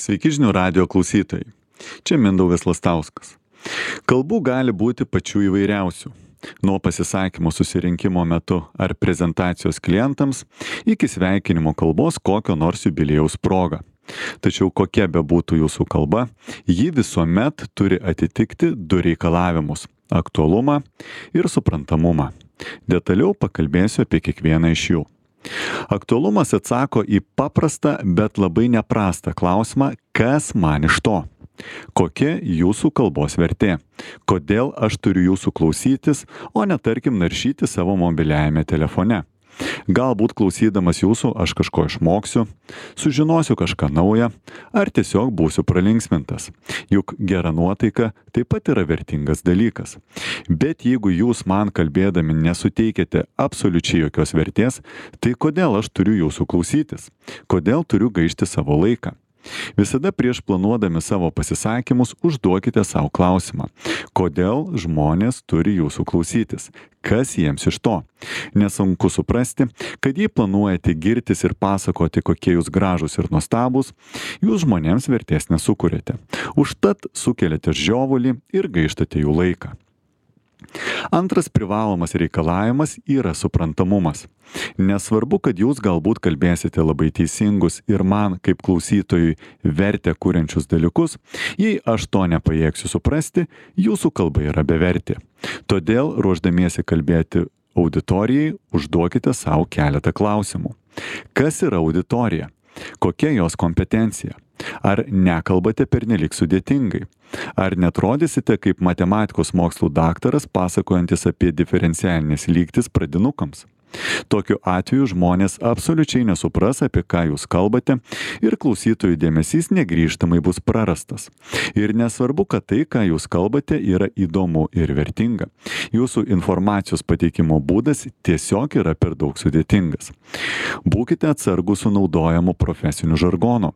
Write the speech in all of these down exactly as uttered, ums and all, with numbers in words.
Sveiki žinių radijo klausytojai. Čia Mindaugas Lastauskas. Kalbų gali būti pačių įvairiausių. Nuo pasisakymo susirinkimo metu ar prezentacijos klientams iki sveikinimo kalbos kokio nors jubiliejaus proga. Tačiau kokia bebūtų jūsų kalba, ji visuomet turi atitikti du reikalavimus - aktualumą ir suprantamumą. Detaliau pakalbėsiu apie kiekvieną iš jų. Aktualumas atsako į paprastą, bet labai neprastą klausimą, kas man iš to? Kokia jūsų kalbos vertė? Kodėl aš turiu jūsų klausytis, o ne tarkim naršyti savo mobiliajame telefone? Galbūt klausydamas jūsų aš kažko išmoksiu, sužinosiu kažką naują, ar tiesiog būsiu pralinksmintas. Juk gera nuotaika taip pat yra vertingas dalykas. Bet jeigu jūs man kalbėdami nesuteikėte absoliučiai jokios vertės, tai kodėl aš turiu jūsų klausytis? Kodėl turiu gaišti savo laiką? Visada prieš planuodami savo pasisakymus užduokite savo klausimą. Kodėl žmonės turi jūsų klausytis? Kas jiems iš to? Nesunku suprasti, kad jei planuojate girtis ir pasakoti, kokie jūs gražūs ir nuostabūs, jūs žmonėms vertės nesukuriate. Užtat sukeliate žiovulį ir gaištate jų laiką. Antras privalomas reikalavimas yra suprantamumas. Nesvarbu, kad jūs galbūt kalbėsite labai teisingus ir man kaip klausytojui vertę kuriančius dalykus, jei aš to nepajėgsiu suprasti, jūsų kalba yra bevertė. Todėl, ruošdamiesi kalbėti auditorijai, užduokite savo keletą klausimų. Kas yra auditorija? Kokia jos kompetencija? Ar nekalbate pernelyg sudėtingai? Ar netrodysite kaip matematikos mokslų daktaras pasakojantis apie diferencialinės lygtis pradinukams? Tokiu atveju žmonės absoliučiai nesupras, apie ką jūs kalbate ir klausytojų dėmesys negrįžtamai bus prarastas. Ir nesvarbu, kad tai, ką jūs kalbate, yra įdomu ir vertinga. Jūsų informacijos pateikimo būdas tiesiog yra per daug sudėtingas. Būkite atsargūs su naudojamu profesiniu žargonu.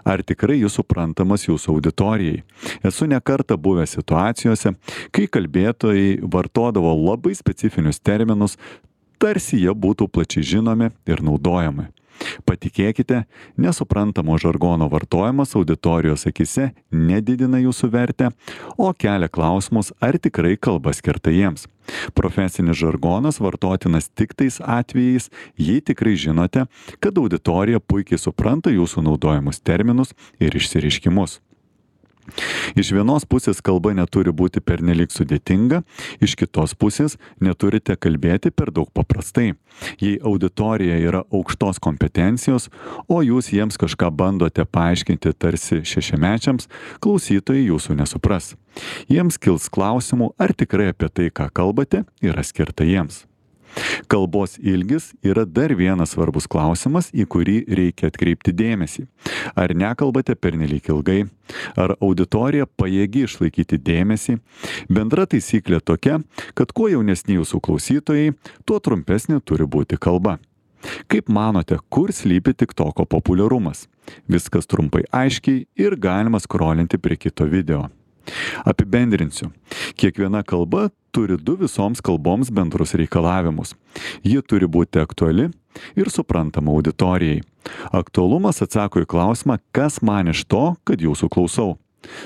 Ar tikrai jis suprantamas jūsų auditorijai? Esu ne kartą buvęs situacijose, kai kalbėtojai vartodavo labai specifinius terminus, tarsi jie būtų plačiai žinomi ir naudojami. Patikėkite, nesuprantamo žargono vartojimas auditorijos akise nedidina jūsų vertę, o kelia klausimus, ar tikrai kalba skirta jiems. Profesinis žargonas vartotinas tik tais atvejais, jei tikrai žinote, kad auditorija puikiai supranta jūsų naudojamus terminus ir išsireiškimus. Iš vienos pusės kalba neturi būti pernelyg sudėtinga, iš kitos pusės neturite kalbėti per daug paprastai. Jei auditorija yra aukštos kompetencijos, o jūs jiems kažką bandote paaiškinti tarsi šešiamečiams, klausytojai jūsų nesupras. Jiems kils klausimų, ar tikrai apie tai, ką kalbate, yra skirta jiems. Kalbos ilgis yra dar vienas svarbus klausimas, į kurį reikia atkreipti dėmesį. Ar nekalbate pernelyg ilgai? Ar auditorija pajėgi išlaikyti dėmesį? Bendra taisyklė tokia, kad kuo jaunesni jūsų klausytojai, tuo trumpesnė turi būti kalba. Kaip manote, kur slypi TikToko populiarumas? Viskas trumpai aiškiai ir galima skrolinti prie kito video. Apibendrinsiu. Kiekviena kalba turi du visoms kalboms bendrus reikalavimus. Ji turi būti aktuali ir suprantama auditorijai. Aktualumas atsako į klausimą, kas man iš to, kad jūsų klausau.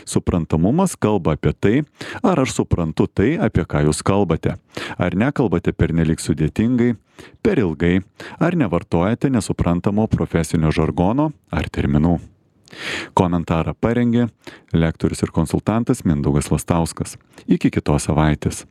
Suprantamumas kalba apie tai, ar aš suprantu tai, apie ką jūs kalbate. Ar nekalbate pernelyg sudėtingai, per ilgai, ar nevartojate nesuprantamo profesinio žargono ar terminų. Komentarą parengė lektorius ir konsultantas Mindaugas Lastauskas. Iki kitos savaitės.